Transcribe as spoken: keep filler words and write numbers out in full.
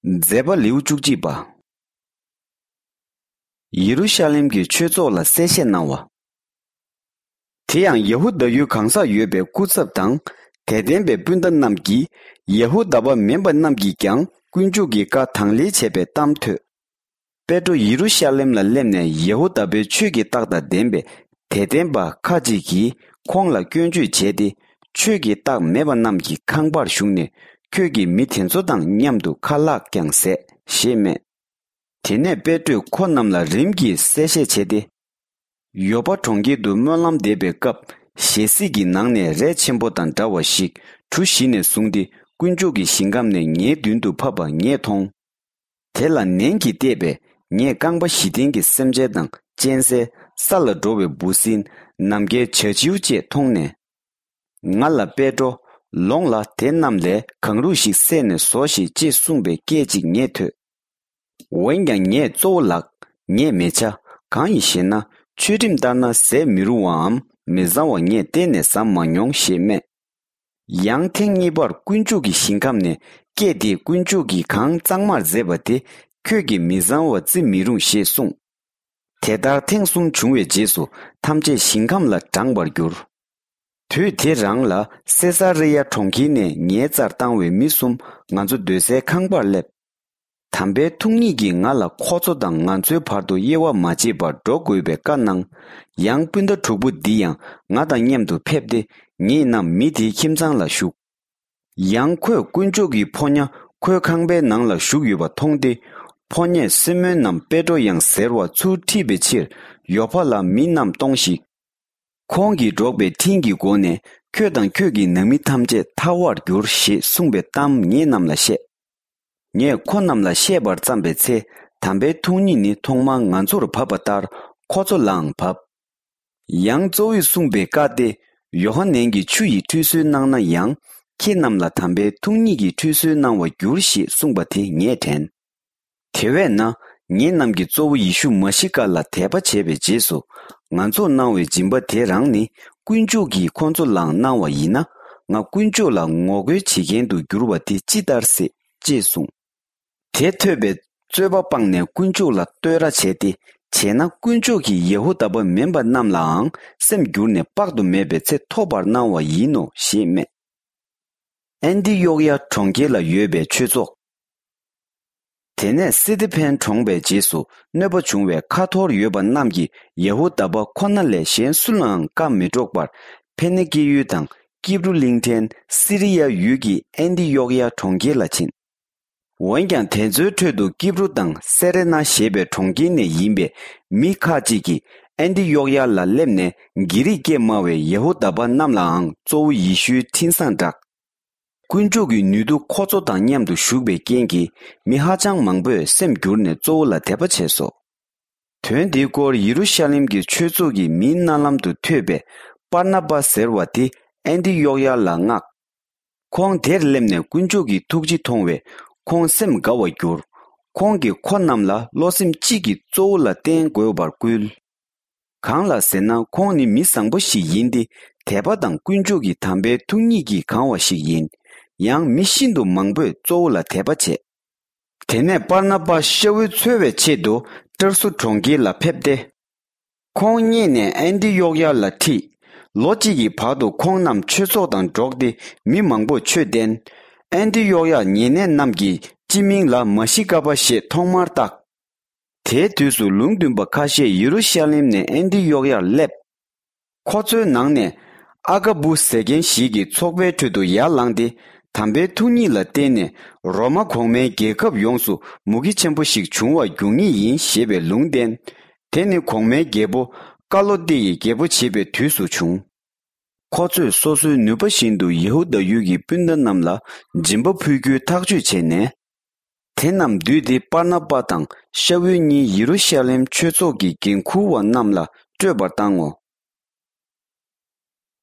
མཛད་པ་ལེའུ་བཅུ་གཅིག་པ། ཡེ་རུ་ཤ་ལེམ་གྱི་ཆོས་ཚོགས་ལ་གསལ་བཤད་གནང་བ། དེ་ཡང་ཡ་ཧུ་དཱ་ཡུལ་གང་སར་ཡོད་པའི་སྐུ་ཚབ་དང་། དད་ལྡན་པའི་སྤུན་ཟླ་རྣམས་ཀྱིས། ཡ་ཧུ་དཱ་པ་མིན་པ་རྣམས་ཀྱིས་ཀྱང་དཀོན་མཆོག་གི་བཀའ་དང་ལེན་བྱས་པའི་གཏམ་ཐོས། པེ་ཏྲོ་ཡེ་རུ་ཤ་ལེམ་ལ་སླེབས་ནས་ཡ་ཧུ་དཱ་པའི་ཆོས་ཀྱི་རྟགས་དང་ལྡན་པའི་དད་ལྡན་པ་ཁ་ཅིག་གིས་ཁོང་ལ་སྐྱོན་བརྗོད་བྱས་ཏེ། ཆོས་ཀྱི་རྟགས་མེད་པ་རྣམས་ཀྱི་ཁང་པར་ཞུགས་ནས། ཁྱོད་ཀྱིས་མི་དེ་ཚོ་དང་མཉམ་དུ་ཁ་ལག་ཀྱང་ཟས་ཞེས་སྨྲས། དེ་ནས་པེ་ཏྲོས་ཁོ་རྣམས་ལ་རིམ་གྱིས་གསལ་བཤད་བྱས་ཏེ། ཡོ་པ་གྲོང་ཁྱེར་དུ་སྨོན་ལམ་འདེབས་པའི་སྐབས། ཞལ་གཟིགས་ཀྱི་ནང་ནས་རས་ཆེན་པོ་དང་འདྲ་བ་ཞིག་གྲུ་བཞི་ནས་བཟུང་སྟེ། དཀོན་མཆོག་གི་ཞིང་ཁམས་ནས་ངའི་མདུན་དུ་ཕབ་པ་ངས་མཐོང་། དེ་ལ་ནན་གྱིས་བལྟས་པས། ངས་རྐང་པ་བཞི་ལྡན་གྱི་སེམས་ཅན་དང་གཅན་གཟན། ས་ལ་འགྲོ་བའི་འབུ་སྲིན། ནམ་མཁའི་བྱ་བྱིའུ་བཅས་མཐོང་ནས། ང་ལ་པེ་ཏྲོ། ལོངས་ལ། དེ་རྣམས་ལས་གང་རུང་ཞིག་བསད་ནས་ཟོ་ཞིག་ཅེས་གསུངས་པའི་སྐད་ཅིག་ངས་ཐོས། འོན་ཀྱང་ངས་གཙོ་བོ་ལགས། ངས་མི་བྱ། གང་ཡིན་ཞེ་ན། ཆོས་ཁྲིམས་ལྟར་ན་ཟས་མི་རུང་བའམ་མི་བཟང་བ་ངས་གཏན་ནས་བཟའ་མ་མྱོང་ཞེས་སྨྲས། ཡང་ཐེངས་གཉིས་པར་དཀོན་མཆོག་གི་ཞིང་ཁམས་ནས་སྐད་དེས། དཀོན་མཆོག་གིས་གང་གཙང་མར་མཛད་པ་དེ་ཁྱོད་ཀྱིས་མི་བཟང་བར་བརྩི་མི་རུང་ཞེས་གསུངས། དེ་ལྟར་ཐེངས་གསུམ་བྱུང་བའི་རྗེས་སུ་ཐམས་ཅད་ཞིང་ཁམས་ལ་འབྲངས་པར་གྱུར། དུས་དེ་རང་ལ་སེ་ས་རི་ཡ་གྲོང་ཁྱེར་ནས་ངའི་རྩར་བཏང་བའི་མི་གསུམ་ང་ཚོ་སྡོད་སའི་ཁང་པར་སླེབས། དམ་པའི་ཐུགས་ཉིད་ཀྱིས་ང་ལ་ཁོ་ཚོ་དང་ང་ཚོའི་བར་དུ་དབྱེ་བ་མ་འབྱེད་པར་འགྲོ་དགོས་པའི་བཀའ་གནང་། ཡང་སྤུན་ཟླ་དྲུག་པོ་འདི་ཡང་ང་དང་མཉམ་དུ་ཕེབས་ཏེ། ངེད་རྣམས་མི་དེའི་ཁྱིམ་ཚང་ལ་ཞུགས། ཡང་ཁོས་དཀོན་མཆོག་གི་ཕོ་ཉ་ཁོའི་ཁང་པའི་ནང་ལ་བཞུགས་ཡོད་པ་མཐོང་སྟེ། ཕོ་ཉས་སི་མོན་ནམ་པེ་ཏྲོ་ཡང་ཟེར་བ་ཚུར་ཁྲིད་པའི་ཕྱིར་ཡོ་ཕ་ལ་མི་རྣམས་གཏོང་ཞིག། ཁོང་གིས་འབྲོག་པའི་འཕྲིན་གྱི་སྒོ་ནས་ཁྱོད་དང་ཁྱོད་ཀྱི་ནང་མི་ཐམས་ཅད་ཐར་བར་འགྱུར་ཞེས་གསུངས་པའི་གཏམ་ངེད་རྣམས་ལ་བཤད། ངས་ཁོ་རྣམས་ལ་བཤད་པར་བརྩམས་པའི་ཚེ། དམ་པའི་ཐུགས་ཉིད་ནི་ཐོག་མར་ང་ཚོར་བབས་པ་ལྟར་ཁོ་ཚོ་ལའང་བབས། ཡང་གཙོ་བོས་གསུངས་པའི་བཀའ་སྟེ། ཡོ་ཧ་ནན་གྱིས་ཆུ་ཡི་ཁྲུས་གསོལ་གནང་ན་ཡང་། ཁྱེད་རྣམས་ལ་དམ་པའི་ཐུགས་ཉིད་ཀྱིས་ཁྲུས་གསོལ་གནང་བར་འགྱུར་ཞེས་གསུངས་པ་དེ་ངས་དྲན། དེ་བས་ན། ངེད་རྣམས་ཀྱིས་གཙོ་བོ་ཡེ་ཤུ་མ་ཤི་ཀ་ལ་དད་པ་བྱས་པའི་རྗེས་སུ། ང་ཚོར་གནང་བའི་སྦྱིན་པ་དེ་རང་ནི། དཀོན་མཆོག་གིས་ཁོ་ཚོ་ལའང་གནང་བ་ཡིན་ན། ང་དཀོན་མཆོག་ལ་ངོ་རྒོལ་བྱེད་མཁན་དུ་འགྱུར་བ་དེ་ཅི་ལྟར་སྲིད། ཅེས་གསུངས། དེ་ཐོས་པས་རྩོད་པ་སྤངས་ནས་དཀོན་མཆོག་ལ་བསྟོད་ར་བྱས་ཏེ། བྱས་ན་དཀོན་མཆོག་གིས་ཡ་ཧུ་དཱ་པ་མིན་པ་རྣམས་ལའང་སེམས་བསྒྱུར་ནས་དཔག་ཏུ་མེད་པའི་ཚེ་ཐོབ་པར་གནང་བ་ཡིན་ནོ་ཞེས་སྨྲས། ཨན་ཏི་ཡོག་ཡ་གྲོང་ཁྱེར་ལ་ཡོད་པའི་ཆོས་ཚོགས། དེ་ནས་སི་ཏི་ཕན་གྲོངས་པའི་རྗེས་སུ་གནོད་པ་བྱུང་བའི་ཁ་འཐོར་ཡོད་པ་རྣམས་ཀྱིས་ཡ་ཧུ་དཱ་པ་ཁོ་ན་ལས་གཞན་སུ་ལའང་བཀའ་མི་སྒྲོག་པར། ཕེ་ནི་ཀི་ཡུལ་དང་ཀིབ་རུ་གླིང་ཕྲན་སི་རི་ཡ་ཡུལ་གྱི་ཨན་ཏི་ཡོག་ཡ་གྲོང་ཁྱེར་ལ་ཕྱིན། འོན་ཀྱང་དེ་ཚོའི་ཁྲོད་དུ་ཀིབ་རུ་དང་སེ་རེ་ན་ཞེས་པའི་གྲོང་ཁྱེར་ནས་ཡིན་པའི་མི་ཁ་ཅིག་གིས་ཨན་ཏི་ཡོག་ཡ་ལ་སླེབས་ནས། གྷི་རིག་སྐད་སྨྲ་བའི་ཡ་ཧུ་དཱ་པ་རྣམས་ལའང་གཙོ་བོ་ཡེ་ཤུའི་འཕྲིན་བཟང་བསྒྲགས། དཀོན་མཆོག་གི་ནུས་མཐུ་ཁོ་ཚོ་དང་མཉམ་དུ་བཞུགས་པའི་རྐྱེན་གྱིས། མི་ཧ་ཅང་མང་པོས་སེམས་བསྒྱུར་ནས་གཙོ་བོ་ལ་དད་པ་བྱས་སོ། དོན་འདིའི་སྐོར་ཡེ་རུ་ཤ་ལེམ་གྱི་ཆོས་ཚོགས་ཀྱི་མིའི་རྣ་ལམ་དུ་ཐོས་པས། པར་ན་པ་ཟེར་བ་དེ་ཨན་ཏི་ཡོག་ཡ་ལ་མངགས། ཁོང་དེར་སླེབས་ནས་དཀོན་མཆོག་གི་ཐུགས་རྗེ་མཐོང་བས། ཁོང་སེམས་དགའ་བར་གྱུར། ཁོང་གིས་ཁོ་རྣམས་ལ་བློ་སེམས་གཅིག་གིས་གཙོ་བོ་ལ་བརྟེན་དགོས་པར་བསྐུལ། གང་ལགས་ཟེར་ན། ཁོང་ནི་མི་བཟང་པོ་ཞིག་ཡིན་ཏེ། དད་པ་དང་དཀོན་མཆོག་གི་དམ་པའི་ཐུགས་ཉིད་ཀྱིས་གང་བ་ཞིག་ཡིན། ཡང་མི་ཤིན་ཏུ་མང་པོས་གཙོ་བོ་ལ་དད་པ་བྱས། དེ་ནས་པར་ན་པ་ཤ་བོའི་འཚོལ་བའི་ཆེད་དུ་ཏར་སུ་གྲོང་ཁྱེར་ལ་ཕེབས་ཏེ། ཁོང་རྙེད་ནས་ཨན་ཏི་ཡོག་ཡ་ལ་ཁྲིད། ལོ་གཅིག་གི་བར་དུ་ཁོང་རྣམས་ཆོས་ཚོགས་དང་འགྲོགས་ཏེ་མི་མང་པོར་ཆོས་བསྟན། ཨན་ཏི་ཡོག་ཡ་ཉེ་གནས་རྣམས་ཀྱི་སྤྱི་མིང་ལ་མ་ཤི་ཀ་པ་ཞེས་ཐོག་མར་བཏགས། དེའི་དུས་སུ་ལུང་སྟོན་པ་ཁ་ཤས་ཡེ་རུ་ཤ་ལེམ་ནས་ཨན་ཏི་ཡོག་ཡར་སླེབས། ཁོ་ཚོའི་ནང་ནས་ཨ་ག་བུ་ཟེར་མཁན་ཞིག་གིས་ཚོགས་པའི་ཁྲོད་དུ་ཡར་ལངས་ཏེ། དམ་པའི་ཐུགས་ཉིད་ལ་བརྟེན་ནས་རོ་མ་གོང་མའི་རྒྱལ་ཁབ་ཡོངས་སུ་མུ་གེ་ཆེན་པོ་ཞིག་འབྱུང་བ་འགྱུར་ངེས་ཡིན་ཞེས་པའི་ལུང་བསྟན། དེ་ནི་གོང་མའི་རྒྱལ་པོ་ཀ་ལོ་ཏེ་ཡི་རྒྱལ་པོ་བྱེད་པའི་དུས་སུ་བྱུང་། ཁོ་ཚོས་སོ་སོའི་ནུས་པ་བཞིན་དུ་ཡེ་ཧུ་དཱ་ཡུལ་གྱི་སྤུན་ཟླ་རྣམས་ལ་སྦྱིན་པ་ཕུལ་རྒྱུའི་ཐག་གཅོད་བྱས་ནས། དེ་རྣམས་བསྡུས་ཏེ་པར་ན་པ་དང་ཤ་བོའི་གཉིས་ཡེ་རུ་ཤ་ལེམ་ཆོས་ཚོགས་ཀྱི་འགན་འཁུར་བ་རྣམས་ལ་སྤྲོད་པར་བཏང་ངོ་།